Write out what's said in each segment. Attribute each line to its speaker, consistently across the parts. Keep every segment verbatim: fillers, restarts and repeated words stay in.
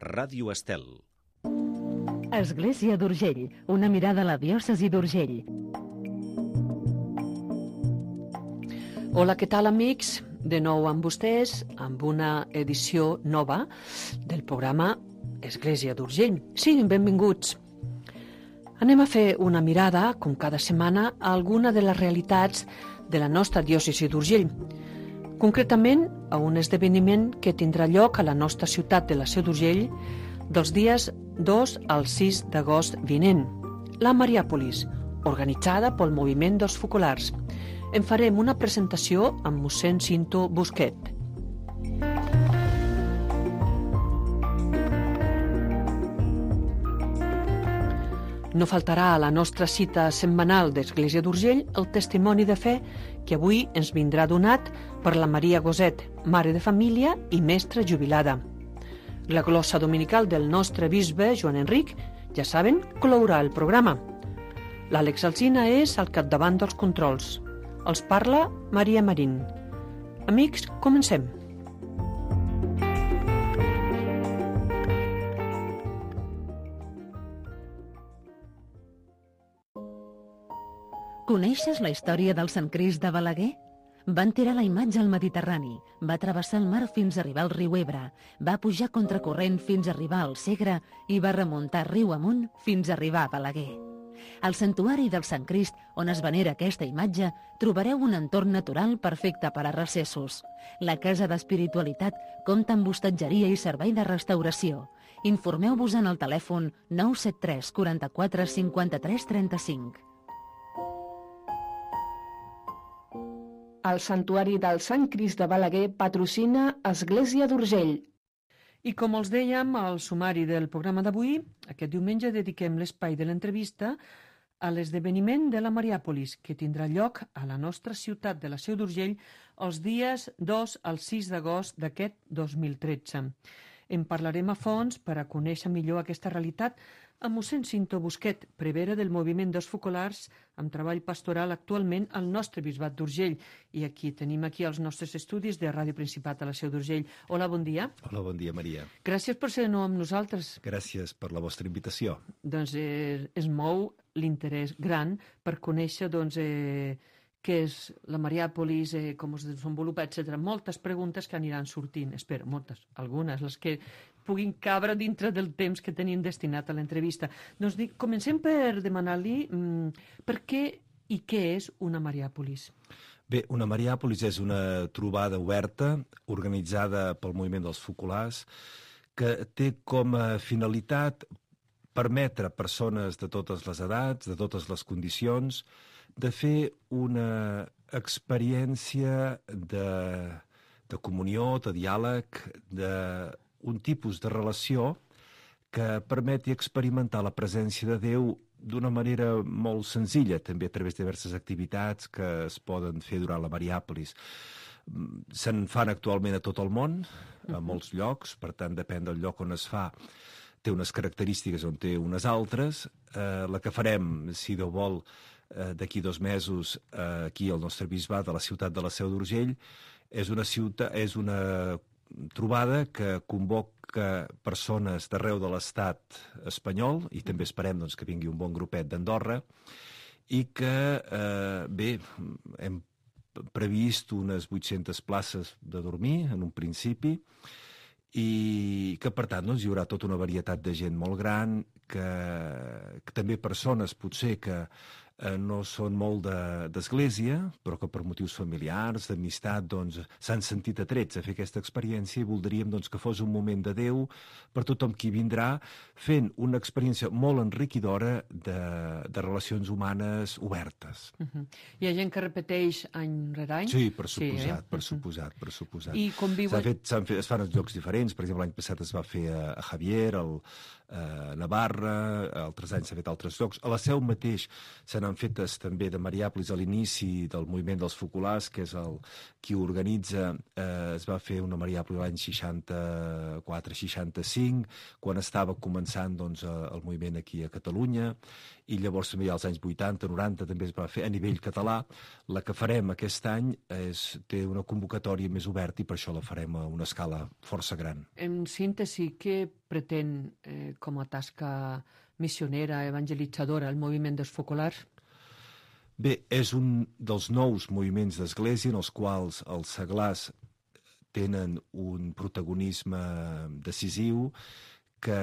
Speaker 1: Ràdio Estel.
Speaker 2: Església d'Urgell, una mirada a la diòcesi d'Urgell.
Speaker 3: Hola, què tal, amics? De nou amb vostès, amb una edició nova del programa Església d'Urgell. Siguin benvinguts. Anem a fer una mirada, com cada setmana, a alguna de les realitats de la nostra diòcesi d'Urgell. Concretament, a un esdeveniment que tindrà lloc a la nostra ciutat de la Seu d'Urgell dels dies dos al sis d'agost vinent, la Mariàpolis, organitzada pel Moviment dels Focolars. En farem una presentació amb mossèn Cinto Busquet. No faltarà a la nostra cita setmanal d'Església d'Urgell el testimoni de fe que avui ens vindrà donat per la Maria Goset, mare de família i mestra jubilada. La glossa dominical del nostre bisbe, Joan Enric, ja saben, clourà el programa. L'Àlex Alsina és al capdavant dels controls. Els parla Maria Marín. Amics, comencem.
Speaker 2: Coneixes la història del Sant Crist de Balaguer? Van tirar la imatge al Mediterrani, va travessar el mar fins a arribar al riu Ebre, va pujar contracorrent fins a arribar al Segre i va remuntar riu amunt fins a arribar a Balaguer. Al santuari del Sant Crist, on es venera aquesta imatge, trobareu un entorn natural perfecte per a recessos. La Casa d'Espiritualitat compta amb hostatgeria i servei de restauració. Informeu-vos en el telèfon nou set tres quaranta-quatre cinquanta-tres trenta-cinc.
Speaker 4: El Santuari del Sant Crist de Balaguer patrocina Església d'Urgell.
Speaker 3: I com els dèiem al sumari del programa d'avui, aquest diumenge dediquem l'espai de l'entrevista a l'esdeveniment de la Mariàpolis, que tindrà lloc a la nostra ciutat de la Seu d'Urgell els dies dos al sis d'agost d'aquest dos mil tretze. En parlarem a fons per a conèixer millor aquesta realitat amb mossèn Cinto Busquet, prevere del Moviment dels Focolars, amb treball pastoral actualment al nostre bisbat d'Urgell. I aquí tenim aquí els nostres estudis de Ràdio Principat a la Seu d'Urgell. Hola, bon dia.
Speaker 5: Hola, bon dia, Maria.
Speaker 3: Gràcies per ser de nou amb nosaltres.
Speaker 5: Gràcies per la vostra invitació.
Speaker 3: Doncs eh, es mou l'interès gran per conèixer doncs, eh, què és la Mariàpolis, eh, com es desenvolupa, etcètera. Moltes preguntes que aniran sortint, espero, moltes, algunes, les que puguin cabre dintre del temps que tenim destinat a l'entrevista. Doncs dic, comencem per demanar-li mm, per què i què és una Mariàpolis.
Speaker 5: Bé, una Mariàpolis és una trobada oberta organitzada pel Moviment dels Focolars que té com a finalitat permetre a persones de totes les edats, de totes les condicions, de fer una experiència de, de comunió, de diàleg, d'un tipus de relació que permeti experimentar la presència de Déu d'una manera molt senzilla, també a través de diverses activitats que es poden fer durant la Mariàpolis. Se'n fan actualment a tot el món, a molts llocs, per tant, depèn del lloc on es fa, té unes característiques on té unes altres. Eh, la que farem, si Déu vol, eh, d'aquí dos mesos, eh, aquí al nostre bisbat, a la ciutat de la Seu d'Urgell, és una ciutat, és una trobada que convoca persones d'arreu de l'estat espanyol, i també esperem doncs, que vingui un bon grupet d'Andorra, i que, eh, bé, hem previst unes vuit-centes places de dormir en un principi, i que, per tant, doncs, hi haurà tota una varietat de gent molt gran, que, que també persones, potser, que eh, no són molt d'església, però que per motius familiars, d'amistat, doncs, s'han sentit atrets a fer aquesta experiència i voldríem doncs, que fos un moment de Déu per tothom qui vindrà, fent una experiència molt enriquidora de, de relacions humanes obertes.
Speaker 3: Uh-huh. Hi ha gent que repeteix any rere any?
Speaker 5: Sí, per suposat,
Speaker 3: sí, eh?
Speaker 5: per suposat, per suposat.
Speaker 3: I conviuen...
Speaker 5: S'ha fet, s'han fet, es fan en llocs diferents, per exemple, l'any passat es va fer a, a Javier, al, a Navarra, altres anys s'ha fet a altres llocs. A la Seu mateix se n'han foren fetes també de Mariàpolis a l'inici del moviment dels focolars, que és el qui organitza, eh, es va fer una Mariàpolis l'any seixanta-quatre seixanta-cinc, quan estava començant doncs, el moviment aquí a Catalunya, i llavors també als anys vuitanta noranta també es va fer a nivell català. La que farem aquest any és, té una convocatòria més oberta i per això la farem a una escala força gran.
Speaker 3: En síntesi, què pretén eh, com a tasca missionera, evangelitzadora, el moviment dels focolars?
Speaker 5: Bé, és un dels nous moviments d'església en els quals els seglars tenen un protagonisme decisiu, que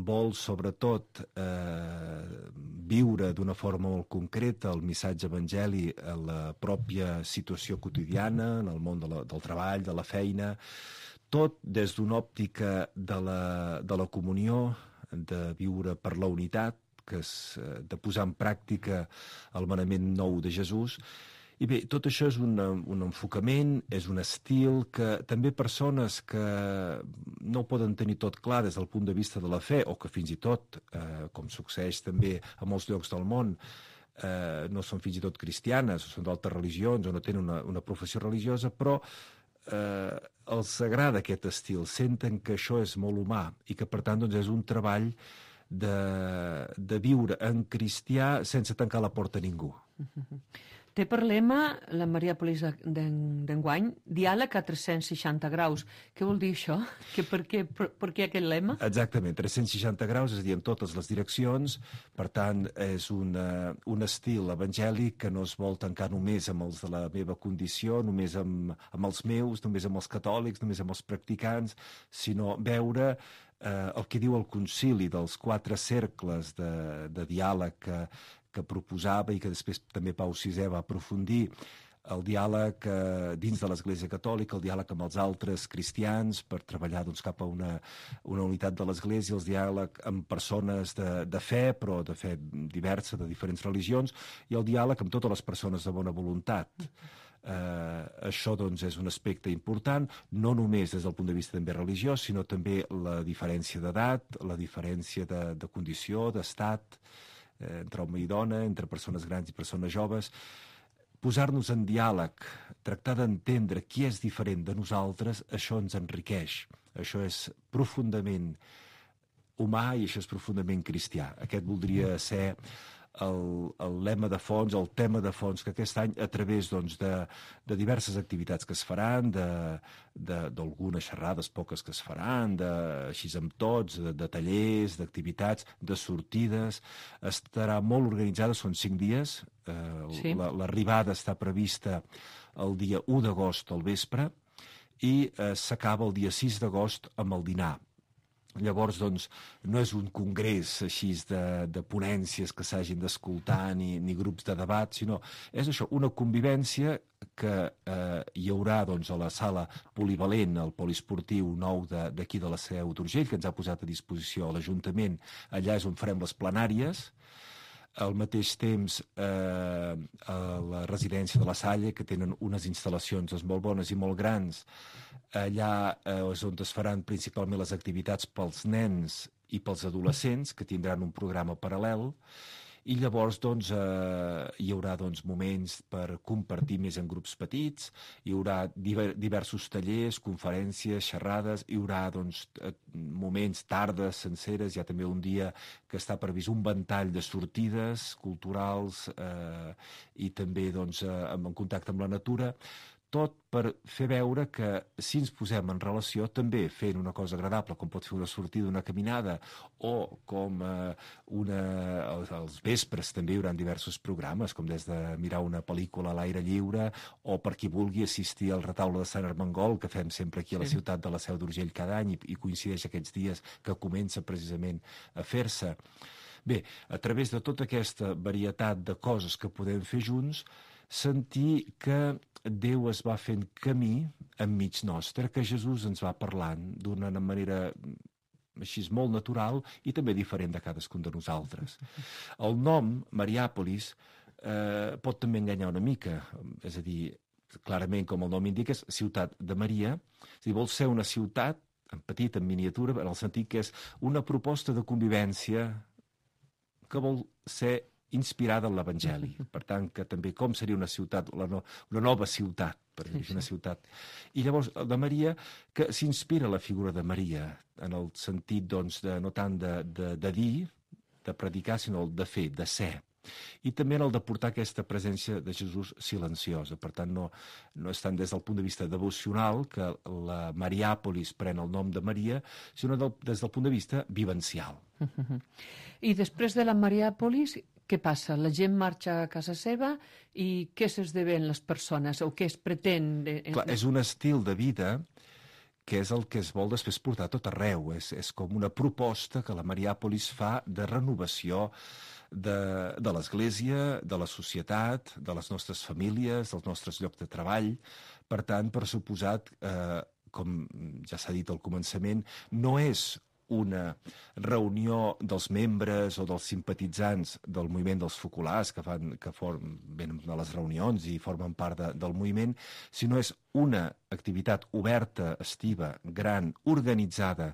Speaker 5: vol sobretot eh, viure d'una forma molt concreta el missatge evangeli a la pròpia situació quotidiana, en el món de la, del treball, de la feina, tot des d'una òptica de la, de la comunió, de viure per la unitat, que és de posar en pràctica el manament nou de Jesús. I bé, tot això és un, un enfocament, és un estil que també persones que no ho poden tenir tot clar des del punt de vista de la fe, o que fins i tot, eh, com succeeix també a molts llocs del món, eh, no són fins i tot cristianes, o són d'altres religions, o no tenen una, una professió religiosa, però eh, els agrada aquest estil, senten que això és molt humà i que, per tant, doncs, és un treball de, de viure en cristià sense tancar la porta a ningú.
Speaker 3: Té per lema la Mariàpolis d'enguany diàleg a tres-cents seixanta graus. Què vol dir això? Que per, què, per, per què aquest lema?
Speaker 5: Exactament, tres-cents seixanta graus, és a dir, en totes les direccions. Per tant, és una, un estil evangèlic que no es vol tancar només amb els de la meva condició, només amb, amb els meus, només amb els catòlics, només amb els practicants, sinó veure eh, el que diu el concili dels quatre cercles de, de diàleg que que proposava i que després també Pau sisè va aprofundir, el diàleg eh, dins de l'Església Catòlica, el diàleg amb els altres cristians per treballar doncs, cap a una, una unitat de l'Església, el diàleg amb persones de, de fe, però de fe diversa, de diferents religions, i el diàleg amb totes les persones de bona voluntat. Eh, això doncs, és un aspecte important, no només des del punt de vista també religiós, sinó també la diferència d'edat, la diferència de, de condició, d'estat, entre home i dona, entre persones grans i persones joves, posar-nos en diàleg, tractar d'entendre qui és diferent de nosaltres, això ens enriqueix. Això és profundament humà i això és profundament cristià. Aquest voldria ser el, el lema de fons, el tema de fons que aquest any, a través doncs, de, de diverses activitats que es faran, d'algunes xerrades poques que es faran, de, així amb tots, de, de tallers, d'activitats, de sortides, estarà molt organitzada, són cinc dies, eh, sí. L'arribada està prevista el dia u d'agost al vespre i eh, s'acaba el dia sis d'agost amb el dinar. Llavors, doncs, no és un congrés així de, de ponències que s'hagin d'escoltar ni, ni grups de debat, sinó és això, una convivència que eh, hi haurà doncs, a la sala polivalent, al poliesportiu nou d'aquí de, de la Seu d'Urgell, que ens ha posat a disposició a l'Ajuntament. Allà és on farem les plenàries. Al mateix temps, eh, a la residència de la Salle, que tenen unes instal·lacions molt bones i molt grans, allà eh, és on es faran principalment les activitats pels nens i pels adolescents, que tindran un programa paral·lel, i llavors doncs, eh, hi haurà doncs, moments per compartir més en grups petits, hi haurà diver, diversos tallers, conferències, xerrades, hi haurà doncs, moments, tardes senceres, hi ha també un dia que està previst un ventall de sortides culturals eh, i també doncs, eh, en contacte amb la natura, tot per fer veure que si ens posem en relació també fent una cosa agradable, com pot fer una sortida, una caminada, o com eh, una... als vespres també hi haurà diversos programes, com des de mirar una pel·lícula a l'aire lliure, o per qui vulgui assistir al retaule de Sant Armengol, que fem sempre aquí a la sí. ciutat de la Seu d'Urgell cada any, i, i coincideix aquests dies que comença precisament a fer-se. Bé, a través de tota aquesta varietat de coses que podem fer junts, sentir que Déu es va fent camí enmig nostre, que Jesús ens va parlant d'una manera així molt natural i també diferent de cadascun de nosaltres. El nom, Mariàpolis, eh, pot també enganyar una mica, és a dir, clarament, com el nom indica, és ciutat de Maria, és a dir, vol ser una ciutat, en petit, en miniatura, en el sentit que és una proposta de convivència que vol ser inspirada en l'Evangeli. Per tant, que també com seria una ciutat, una, no, una nova ciutat, per dir una ciutat. I llavors, el de Maria, que s'inspira la figura de Maria, en el sentit, doncs, de, no tant de, de, de dir, de predicar, sinó el de fer, de ser. I també en el de portar aquesta presència de Jesús silenciosa. Per tant, no, no és tant des del punt de vista devocional que la Mariàpolis pren el nom de Maria, sinó del, des del punt de vista vivencial.
Speaker 3: Uh-huh. I després de la Mariàpolis, què passa? La gent marxa a casa seva i què s'esdevenen les persones o què es pretén? De...
Speaker 5: Clar, és un estil de vida que és el que es vol després portar a tot arreu. És, és com una proposta que la Mariàpolis fa de renovació de, de l'Església, de la societat, de les nostres famílies, dels nostres llocs de treball. Per tant, per suposat, eh, com ja s'ha dit al començament, no és una reunió dels membres o dels simpatitzants del moviment dels focolars que, fan, que form, venen a les reunions i formen part de, del moviment, sinó és una activitat oberta, estiva, gran, organitzada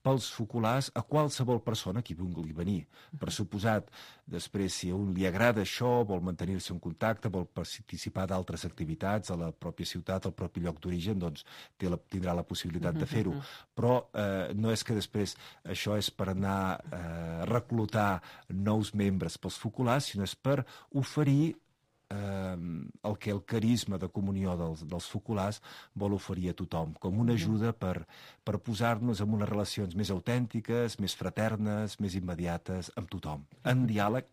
Speaker 5: pels focolars a qualsevol persona que vulgui venir. Per suposat, després, si a un li agrada això, vol mantenir-se en contacte, vol participar d'altres activitats a la pròpia ciutat, al propi lloc d'origen, doncs té la, tindrà la possibilitat de fer-ho. Però eh, no és que després això és per anar a eh, reclutar nous membres pels focolars, sinó és per oferir eh, el que el carisma de comunió dels, dels focolars vol oferir a tothom, com una ajuda per, per posar-nos en unes relacions més autèntiques, més fraternes, més immediates amb tothom, en diàleg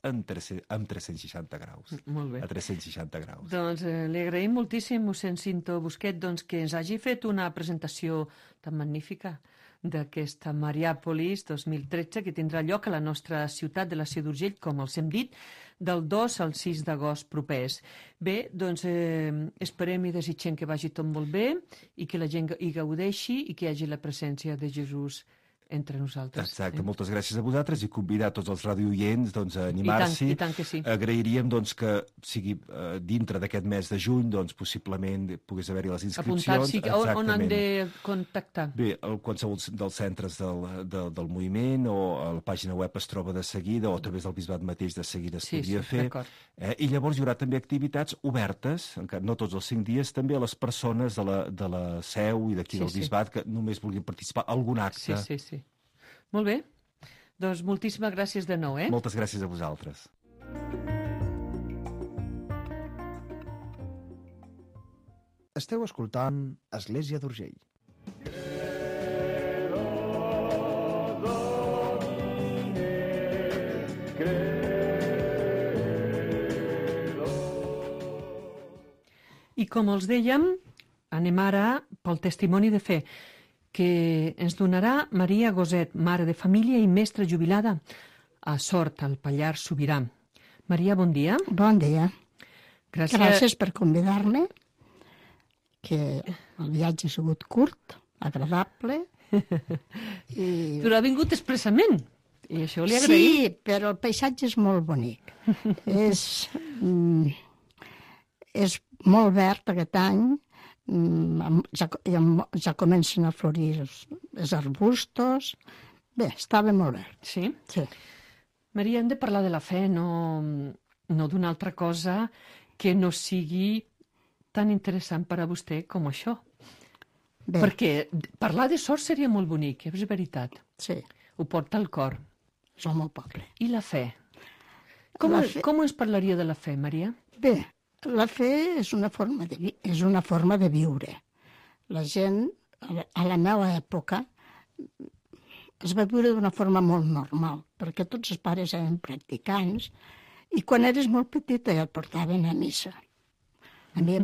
Speaker 5: en tres, amb tres-cents seixanta graus.
Speaker 3: Molt bé.
Speaker 5: A tres-cents seixanta graus.
Speaker 3: Doncs eh, li agraïm moltíssim, mossèn Cinto Busquet, doncs, que ens hagi fet una presentació tan magnífica d'aquesta Mariàpolis dos mil tretze que tindrà lloc a la nostra ciutat de la Seu d'Urgell, com els hem dit, del dos al sis d'agost propers. Bé, doncs eh, esperem i desitgem que vagi tot molt bé i que la gent hi gaudeixi i que hi hagi la presència de Jesús entre nosaltres.
Speaker 5: Exacte,
Speaker 3: eh?
Speaker 5: moltes gràcies a vosaltres i convidar tots els radioients doncs, a animar-s'hi.
Speaker 3: I tant, i tant que sí.
Speaker 5: Agrairíem doncs, que sigui eh, dintre d'aquest mes de juny, doncs, possiblement pogués haver-hi les inscripcions.
Speaker 3: Apuntar-s'hi, on, on han de contactar?
Speaker 5: Bé, el, qualsevol dels centres del, del, del moviment o a la pàgina web es troba de seguida o a través del bisbat mateix de seguida es
Speaker 3: sí,
Speaker 5: podria
Speaker 3: sí,
Speaker 5: fer. Eh? I llavors hi haurà també activitats obertes, encara no tots els cinc dies, també a les persones de la, de la seu i d'aquí
Speaker 3: sí,
Speaker 5: del
Speaker 3: sí.
Speaker 5: bisbat que només vulguin participar en algun acte.
Speaker 3: Sí, sí, sí. Molt bé. Doncs moltíssimes gràcies de nou, eh?
Speaker 5: Moltes gràcies a vosaltres.
Speaker 1: Esteu escoltant Església d'Urgell.
Speaker 3: I com els dèiem, anem ara pel testimoni de fe que ens donarà Maria Goset, mare de família i mestra jubilada a Sort, al Pallars Sobirà. Maria, bon dia.
Speaker 6: Bon dia.
Speaker 3: Gràcies,
Speaker 6: Gràcies per convidar-me, que el viatge ha sigut curt, agradable. I...
Speaker 3: Però ha vingut expressament, i això li agraïm.
Speaker 6: Sí, però el paisatge és molt bonic. és, mm, és molt verd aquest any, Ja, ja comencen a florir els, els arbustos. Bé, estava molt verd.
Speaker 3: Sí?
Speaker 6: Sí.
Speaker 3: Maria, hem de parlar de la fe, no, no d'una altra cosa que no sigui tan interessant per a vostè com això.
Speaker 6: Bé.
Speaker 3: Perquè parlar de sort seria molt bonic, és veritat.
Speaker 6: Sí.
Speaker 3: Ho porta al cor.
Speaker 6: És el meu poble.
Speaker 3: I la fe? Com,
Speaker 6: La
Speaker 3: fe...
Speaker 6: fe...
Speaker 3: com ens parlaria de la fe, Maria?
Speaker 6: Bé, la fe és una forma de, vi... és una forma de viure. La gent, a la meva època, es va viure d'una forma molt normal, perquè tots els pares eren practicants i quan eres molt petita ja et portaven a missa. A mi,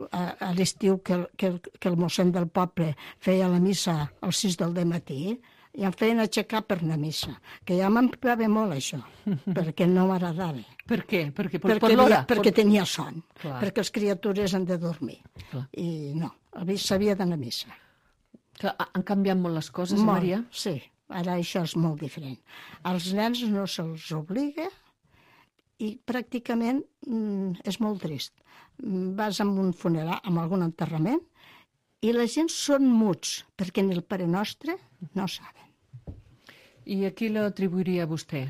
Speaker 6: a, a l'estiu que, el, que, el, que el mossèn del poble feia la missa als sis del matí, i em feien aixecar per anar a missa, que ja m'empleava molt això, perquè no m'agradava.
Speaker 3: Per què? Perquè, per,
Speaker 6: perquè,
Speaker 3: per l'hora?
Speaker 6: Perquè
Speaker 3: per...
Speaker 6: tenia son,
Speaker 3: Clar.
Speaker 6: perquè les criatures han de dormir.
Speaker 3: Clar.
Speaker 6: I no, s'havia d'anar a missa.
Speaker 3: Clar, han canviat molt les coses,
Speaker 6: molt,
Speaker 3: Maria?
Speaker 6: Sí, ara això és molt diferent. Als nens no se'ls obliga i pràcticament mm, és molt trist. Vas a un funeral, a algun enterrament, i la gent són muts, perquè ni el Pare Nostre no saben.
Speaker 3: I a qui l'atribuiria vostè?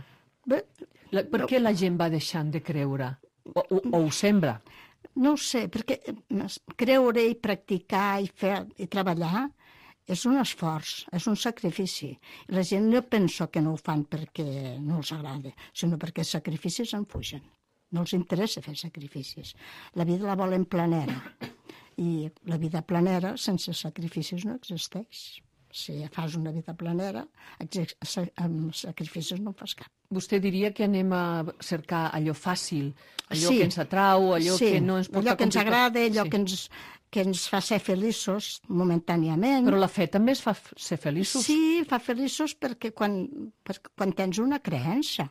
Speaker 6: Bé,
Speaker 3: La, per què la gent va deixant de creure? O, o, o ho sembla?
Speaker 6: No ho sé, perquè creure i practicar i fer i treballar és un esforç, és un sacrifici. La gent no penso que no ho fan perquè no els agrada, sinó perquè els sacrificis en fugen. No els interessa fer sacrificis. La vida la volen planera. I la vida planera sense sacrificis no existeix. Si fas una vida planera, amb sacrificis no en fas cap.
Speaker 3: Vostè diria que anem a cercar allò fàcil, allò
Speaker 6: sí.
Speaker 3: que ens atrau, allò
Speaker 6: sí.
Speaker 3: que no ens porta
Speaker 6: allò que ens agrada, allò
Speaker 3: sí.
Speaker 6: que, ens, que ens fa ser feliços momentàniament.
Speaker 3: Però la fe també es fa ser feliços.
Speaker 6: Sí, fa feliços perquè quan, perquè quan tens una creença.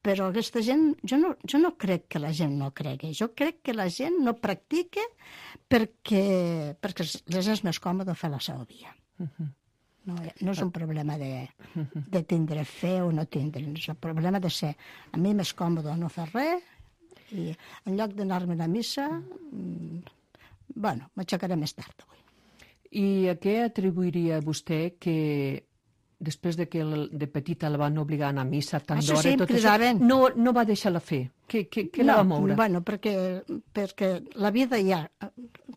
Speaker 6: Però aquesta gent, jo no, jo no crec que la gent no cregui. Jo crec que la gent no practica perquè, perquè les és més còmode fer la seva via. Uh-huh. No, no és un problema de, de tindre fe o no tindre, és el problema de ser a mi més còmode no fer res i en lloc d'anar-me a la missa, mmm, bueno, m'aixecaré més tard avui.
Speaker 3: I a què atribuiria vostè que després de que de petita la van obligar a anar a missa tant
Speaker 6: això
Speaker 3: d'hora
Speaker 6: sí,
Speaker 3: i tot
Speaker 6: això,
Speaker 3: no, no va deixar la fe? Què, què, què
Speaker 6: no,
Speaker 3: la va moure?
Speaker 6: Bueno, perquè, perquè la vida ja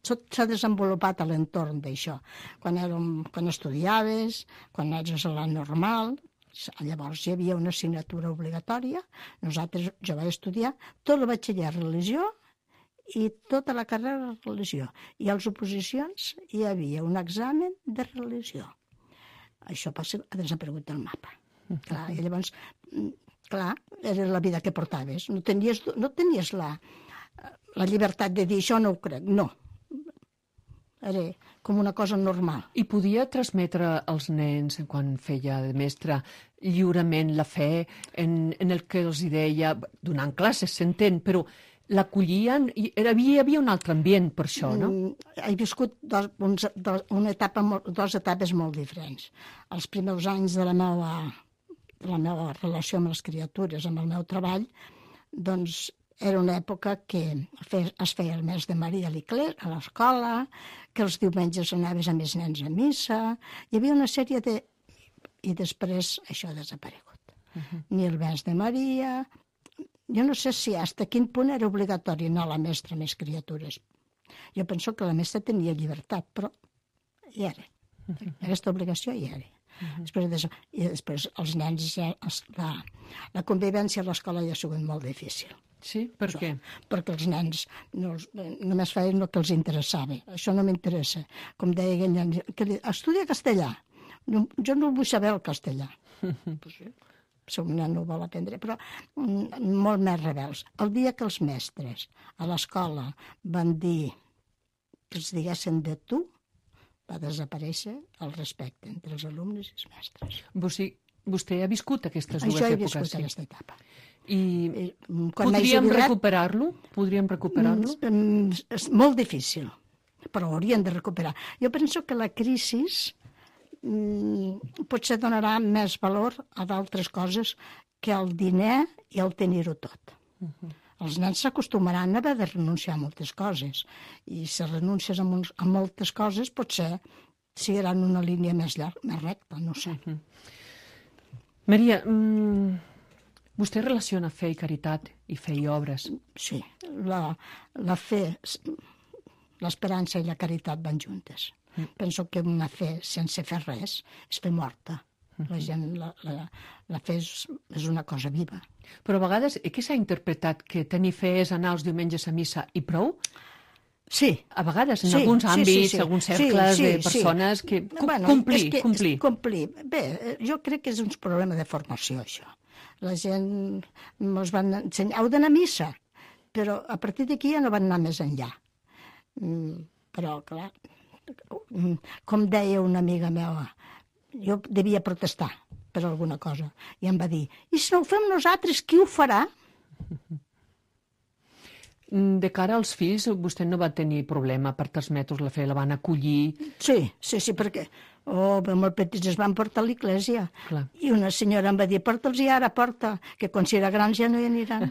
Speaker 6: s'ha desenvolupat a l'entorn d'això. Quan, érem, quan estudiaves, quan eres a la normal, llavors hi havia una assignatura obligatòria, nosaltres, jo vaig estudiar tot el batxiller religió i tota la carrera de religió. I a les oposicions hi havia un examen de religió. Això passa, ha desaparegut del mapa. Clar, i llavors, clar, era la vida que portaves. No tenies, no tenies la, la llibertat de dir això no ho crec, no. Era com una cosa normal.
Speaker 3: I podia transmetre als nens, quan feia de mestre, lliurement la fe en, en el que els deia, donant classes, s'entén, però l'acollien, hi havia, havia un altre ambient per això, no?
Speaker 6: Mm, he viscut dos, uns, dos, una etapa, dos etapes molt diferents. Els primers anys de la meva, de la meva relació amb les criatures, amb el meu treball, doncs era una època que es feia el mes de Maria a l'escola, que els diumenges anaves amb els nens a missa, hi havia una sèrie de... I després això ha desaparegut. Uh-huh. Ni el mes de Maria... Jo no sé si fins a quin punt era obligatori anar a la mestra amb les criatures. Jo penso que la mestra tenia llibertat, però hi era. Aquesta obligació hi era. Uh-huh. Després, I després els nens, ja, la, la convivència a l'escola ja ha sigut molt difícil.
Speaker 3: Sí? Per
Speaker 6: Això,
Speaker 3: què?
Speaker 6: Perquè els nens no, només feien el que els interessava. Això no m'interessa. Com deia aquell nen, que li, estudia castellà. No, jo no vull saber el castellà. Pues sí. Si un nen no vol aprendre, però mm, molt més rebels. El dia que els mestres a l'escola van dir que els diguessin de tu, va desaparèixer el respecte entre els alumnes i els mestres.
Speaker 3: Vostè, vostè ha viscut aquestes dues
Speaker 6: Això he
Speaker 3: èpoques?
Speaker 6: viscut
Speaker 3: Sí.
Speaker 6: aquesta etapa.
Speaker 3: I,
Speaker 6: I quan
Speaker 3: podríem
Speaker 6: jubilat,
Speaker 3: recuperar-lo? Podríem recuperar-lo?
Speaker 6: mm, és molt difícil, però haurien de recuperar. Jo penso que la crisi potser donarà més valor a d'altres coses que el diner i el tenir-ho tot. Uh-huh. Els nens s'acostumaran a haver de renunciar a moltes coses i si renuncies a, molts, a moltes coses potser seguiran una línia més llarga, més recta, no sé. Uh-huh.
Speaker 3: Maria, mmm, vostè relaciona fe i caritat i fe i obres. Sí,
Speaker 6: la, la fe, l'esperança i la caritat van juntes. Mm. Penso que una fe sense fer res és fe morta. La gent, la, la, la fe és, és una cosa viva.
Speaker 3: Però a vegades, eh, què s'ha interpretat? Que tenir fe és anar els diumenges a missa i prou?
Speaker 6: Sí.
Speaker 3: A vegades, en
Speaker 6: sí,
Speaker 3: alguns àmbits,
Speaker 6: sí, sí, sí.
Speaker 3: alguns cercles
Speaker 6: sí, sí,
Speaker 3: de persones
Speaker 6: sí.
Speaker 3: que...
Speaker 6: Bueno,
Speaker 3: complir,
Speaker 6: és que,
Speaker 3: complir.
Speaker 6: És complir. Bé, jo crec que és un problema de formació, això. La gent ens van ensenyar, heu d'anar a missa, però a partir d'aquí ja no van anar més enllà. Mm, però, clar, com deia una amiga meva, jo devia protestar per alguna cosa, i em va dir, i si no ho fem nosaltres, qui ho farà?
Speaker 3: De cara als fills, vostè no va tenir problema per transmetre la fe, la van acollir?
Speaker 6: Sí, sí, sí, perquè oh, molt petits es van portar a l'església.
Speaker 3: Clar.
Speaker 6: I una senyora em va dir, porta'ls i ara, porta, que quan serà grans ja no hi aniran.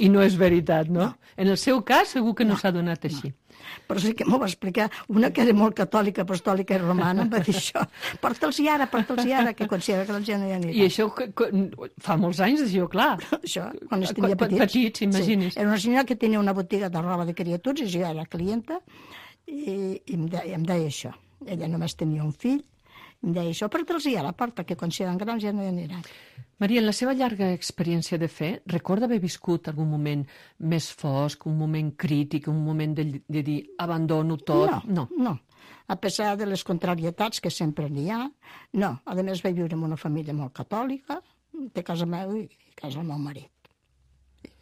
Speaker 3: I no és veritat, no?
Speaker 6: No.
Speaker 3: En el seu cas segur que no, no s'ha donat així.
Speaker 6: No. però sí que m'ho va explicar una que era molt catòlica, apostòlica i romana, em va dir això, porta'ls i ara, porta'ls i ara, que considera que la gent no hi anirà.
Speaker 3: I això que, que, fa molts anys, això, clar.
Speaker 6: Això, quan es tenia
Speaker 3: Quan-
Speaker 6: petits.
Speaker 3: petits, imagines.
Speaker 6: Sí. Era una senyora que tenia una botiga de roba de criatures, i jo era clienta, i, i em, deia, em deia això. Ella només tenia un fill, em deia això, porta'ls i a la porta, que quan siguin grans ja no hi aniran.
Speaker 3: Maria, en la seva llarga experiència de fe, recorda haver viscut algun moment més fosc, un moment crític, un moment de, de dir abandono tot?
Speaker 6: No, no, no. A pesar de les contrarietats que sempre n'hi ha, no. A més, vaig viure en una família molt catòlica, de casa meva i casa del meu marit.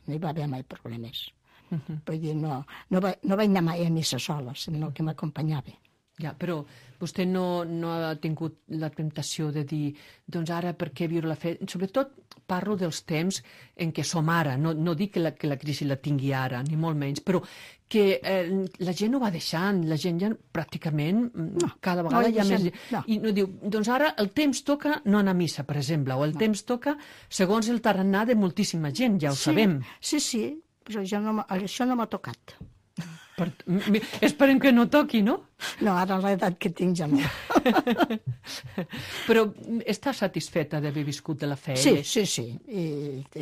Speaker 6: No hi va haver mai problemes. Uh -huh. Vull dir, no, no, va, no vaig anar mai a missa sola, sinó que m'acompanyava.
Speaker 3: Ja, però vostè no, no ha tingut la temptació de dir, doncs ara per què viure la fe? Sobretot parlo dels temps en què som ara, no, no dic que la, que la crisi la tingui ara, ni molt menys, però que eh, la gent ho va deixant, la gent ja pràcticament no, cada vegada
Speaker 6: no
Speaker 3: hi ha
Speaker 6: deixem,
Speaker 3: més...
Speaker 6: no.
Speaker 3: I no diu, doncs ara el temps toca no anar a missa, per exemple, o el no. temps toca segons el tarannà de moltíssima gent, ja ho
Speaker 6: sí,
Speaker 3: sabem.
Speaker 6: Sí, sí, però ja no, això no m'ha tocat.
Speaker 3: Per, esperem que no toqui, no?
Speaker 6: No, ara l'edat que tinc ja no.
Speaker 3: Però està satisfeta d'haver viscut de la fe?
Speaker 6: Sí, sí, sí. I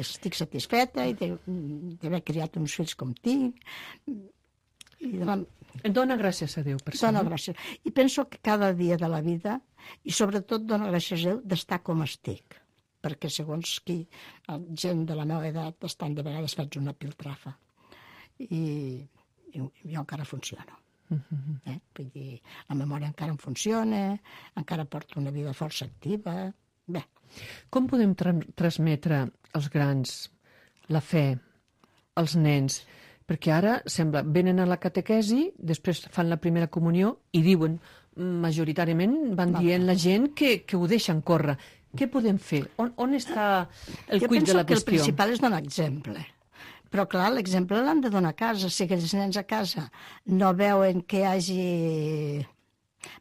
Speaker 6: estic satisfeta i d'haver criat uns fills com tinc. I demà...
Speaker 3: Dóna gràcies a Déu per això.
Speaker 6: Dóna gràcies. I penso que cada dia de la vida, i sobretot dóna gràcies a Déu d'estar com estic. Perquè segons qui, gent de la meva edat, estan de vegades faig una piltrafa. I... jo encara funciono. Uh-huh. eh? Vull dir, la memòria encara em funciona, encara porto una vida força activa. Bé.
Speaker 3: Com podem tra transmetre als grans la fe, als nens? Perquè ara sembla, venen a la catequesi, després fan la primera comunió i diuen, majoritàriament van dient la gent que, que ho deixen córrer. Què podem fer? On, on està el
Speaker 6: jo
Speaker 3: quid de la qüestió?
Speaker 6: Jo penso que el principal és donar exemple. Però, clar, l'exemple l'han de donar a casa. Si aquells nens a casa no veuen que hi hagi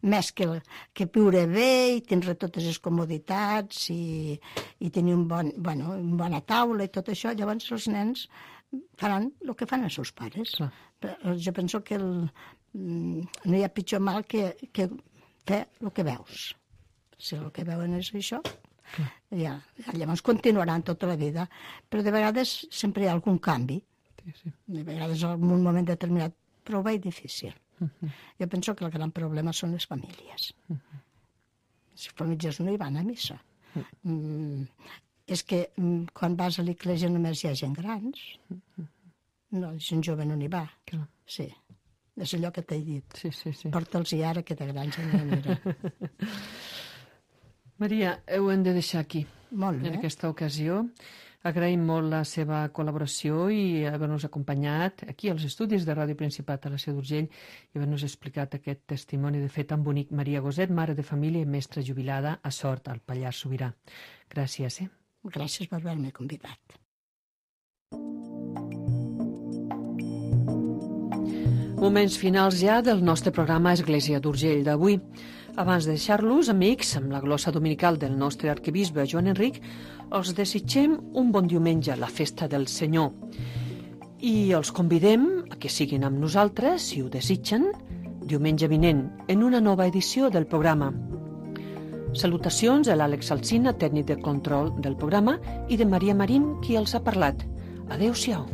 Speaker 6: més que, que viure bé i tindre totes les comoditats i, i tenir un bon, bueno, una bona taula i tot això, llavors els nens faran el que fan els seus pares. Clar. Jo penso que el, no hi ha pitjor mal que, que fer el que veus. Si el que veuen és això... Ja, llavors continuaran tota la vida, però de vegades sempre hi ha algun canvi, sí, sí. De vegades en un moment determinat, però ho veig difícil. Uh -huh. Jo penso que el gran problema són les famílies. Uh -huh. Les famílies no hi van a missa. Uh -huh. mm, és que mm, quan vas a l'església només hi ha gent grans, uh -huh. no, gent jove no n'hi va. Uh -huh. Sí, és allò que t'he dit.
Speaker 3: Sí, sí, sí.
Speaker 6: Porta'ls i ara que de grans ja no hi anirà.
Speaker 3: Maria, ho hem de deixar aquí,
Speaker 6: molt bé.
Speaker 3: En aquesta ocasió. Agraïm molt la seva col·laboració i haver-nos acompanyat aquí als estudis de Ràdio Principat a la Seu d'Urgell i haver-nos explicat aquest testimoni de fet tan bonic. Maria Goset, mare de família i mestra jubilada a Sort, al Pallars Sobirà. Gràcies, eh?
Speaker 6: Gràcies per haver-me convidat.
Speaker 3: Moments finals ja del nostre programa Església d'Urgell d'avui. Abans de deixar-los, amics, amb la glossa dominical del nostre arquebisbe Joan Enric, els desitgem un bon diumenge, la festa del Senyor. I els convidem a que siguin amb nosaltres, si ho desitgen, diumenge vinent, en una nova edició del programa. Salutacions a l'Àlex Alsina, tècnic de control del programa, i de Maria Marín, qui els ha parlat. Adéu-siau.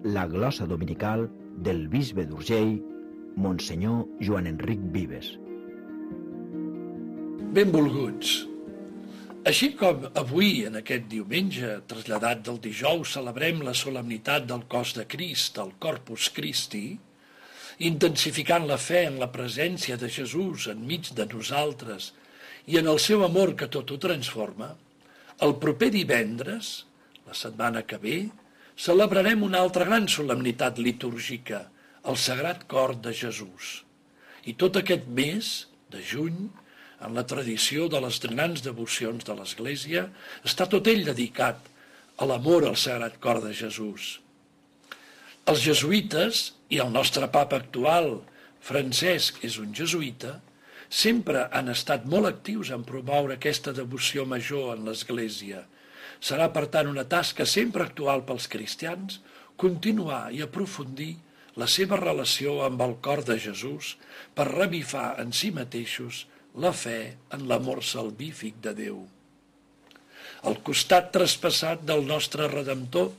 Speaker 1: La glossa dominical del bisbe d'Urgell, Monsenyor Joan Enric Vives.
Speaker 7: Benvolguts. Així com avui, en aquest diumenge, traslladat del dijous, celebrem la solemnitat del cos de Crist, el Corpus Christi, intensificant la fe en la presència de Jesús enmig de nosaltres i en el seu amor que tot ho transforma, el proper divendres, la setmana que ve, celebrarem una altra gran solemnitat litúrgica, el Sagrat Cor de Jesús. I tot aquest mes de juny, en la tradició de les grans devocions de l'Església, està tot ell dedicat a l'amor al Sagrat Cor de Jesús. Els jesuïtes, i el nostre papa actual, Francesc, és un jesuïta, sempre han estat molt actius en promoure aquesta devoció major en l'Església. Serà, per tant, una tasca sempre actual pels cristians continuar i aprofundir la seva relació amb el cor de Jesús per revifar en si mateixos la fe en l'amor salvífic de Déu. El costat traspassat del nostre Redemptor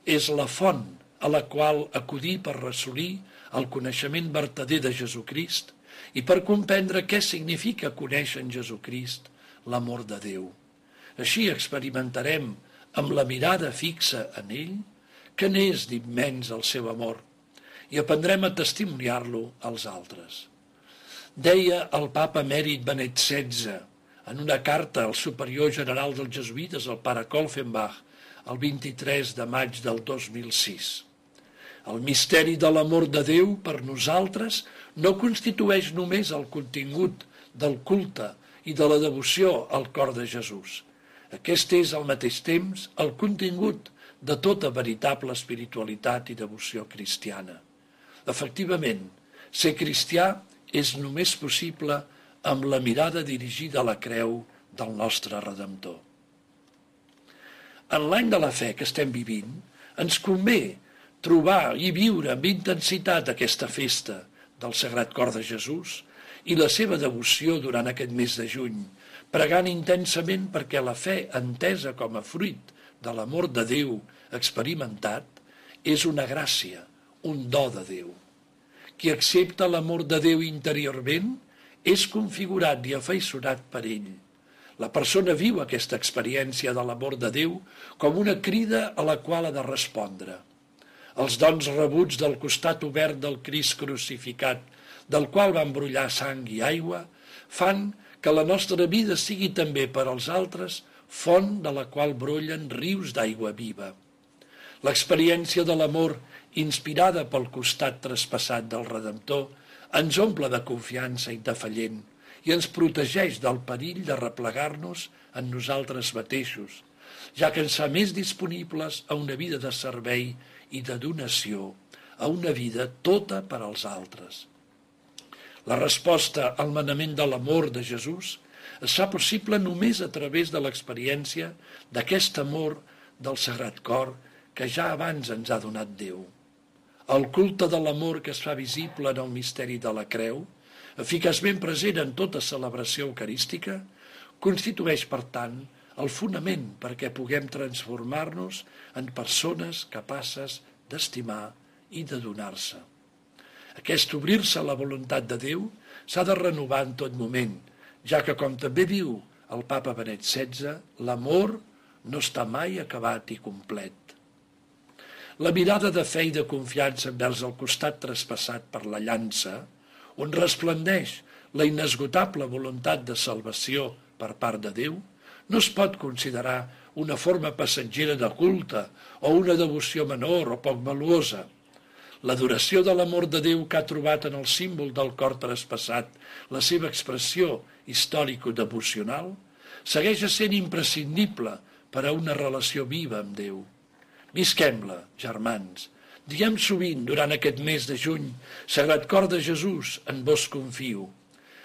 Speaker 7: és la font a la qual acudir per assolir el coneixement vertader de Jesucrist i per comprendre què significa conèixer en Jesucrist l'amor de Déu. Així experimentarem amb la mirada fixa en ell que n'és d'immens el seu amor i aprendrem a testimoniar-lo als altres. Deia el papa emèrit Benet setze en una carta al superior general dels jesuïtes, el pare Kolfenbach, el vint-i-tres de maig del dos mil sis. El misteri de l'amor de Déu per nosaltres no constitueix només el contingut del culte i de la devoció al cor de Jesús. Aquest és al mateix temps el contingut de tota veritable espiritualitat i devoció cristiana. Efectivament, ser cristià és només possible amb la mirada dirigida a la creu del nostre Redemptor. En l'any de la fe que estem vivint, ens convé trobar i viure amb intensitat aquesta festa del Sagrat Cor de Jesús i la seva devoció durant aquest mes de juny, pregant intensament perquè la fe entesa com a fruit de l'amor de Déu experimentat és una gràcia, un do de Déu. Qui accepta l'amor de Déu interiorment és configurat i afaiçonat per ell. La persona viu aquesta experiència de l'amor de Déu com una crida a la qual ha de respondre. Els dons rebuts del costat obert del Crist crucificat, del qual van brollar sang i aigua, fan que la nostra vida sigui també per als altres font de la qual brollen rius d'aigua viva. L'experiència de l'amor inspirada pel costat traspassat del Redemptor ens omple de confiança indefallent i ens protegeix del perill de replegar-nos en nosaltres mateixos, ja que ens fa més disponibles a una vida de servei i de donació, a una vida tota per als altres. La resposta al manament de l'amor de Jesús es fa possible només a través de l'experiència d'aquest amor del Sagrat Cor que ja abans ens ha donat Déu. El culte de l'amor que es fa visible en el misteri de la creu, eficaçment present en tota celebració eucarística, constitueix, per tant, el fonament perquè puguem transformar-nos en persones capaces d'estimar i de donar-se. Aquest obrir-se a la voluntat de Déu s'ha de renovar en tot moment, ja que, com també diu el papa Benet setze, l'amor no està mai acabat i complet. La mirada de fe i de confiança envers el costat traspassat per la llança, on resplendeix la inesgotable voluntat de salvació per part de Déu, no es pot considerar una forma passatgera de culte o una devoció menor o poc valuosa. L'adoració de l'amor de Déu que ha trobat en el símbol del cor traspassat la seva expressió històrico-devocional segueix sent imprescindible per a una relació viva amb Déu. Visquem-la, germans. Diem sovint, durant aquest mes de juny, Sagrat Cor de Jesús, en vos confio.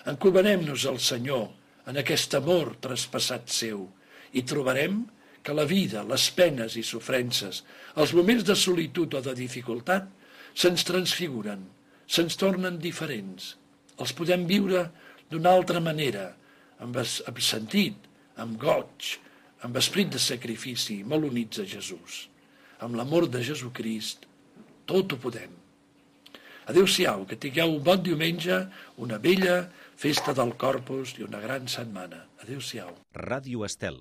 Speaker 7: Encomanem-nos al Senyor en aquest amor traspassat seu i trobarem que la vida, les penes i sofrences, els moments de solitud o de dificultat, se'ns transfiguren, se'ns tornen diferents. Els podem viure d'una altra manera, amb, amb sentit, amb goig, amb esperit de sacrifici, molt units a Jesús. Amb l'amor de Jesucrist, tot ho podem. Adéu-siau, que tingueu un bon diumenge, una bella festa del Corpus i una gran setmana. Adéu-siau.
Speaker 8: Ràdio Estel.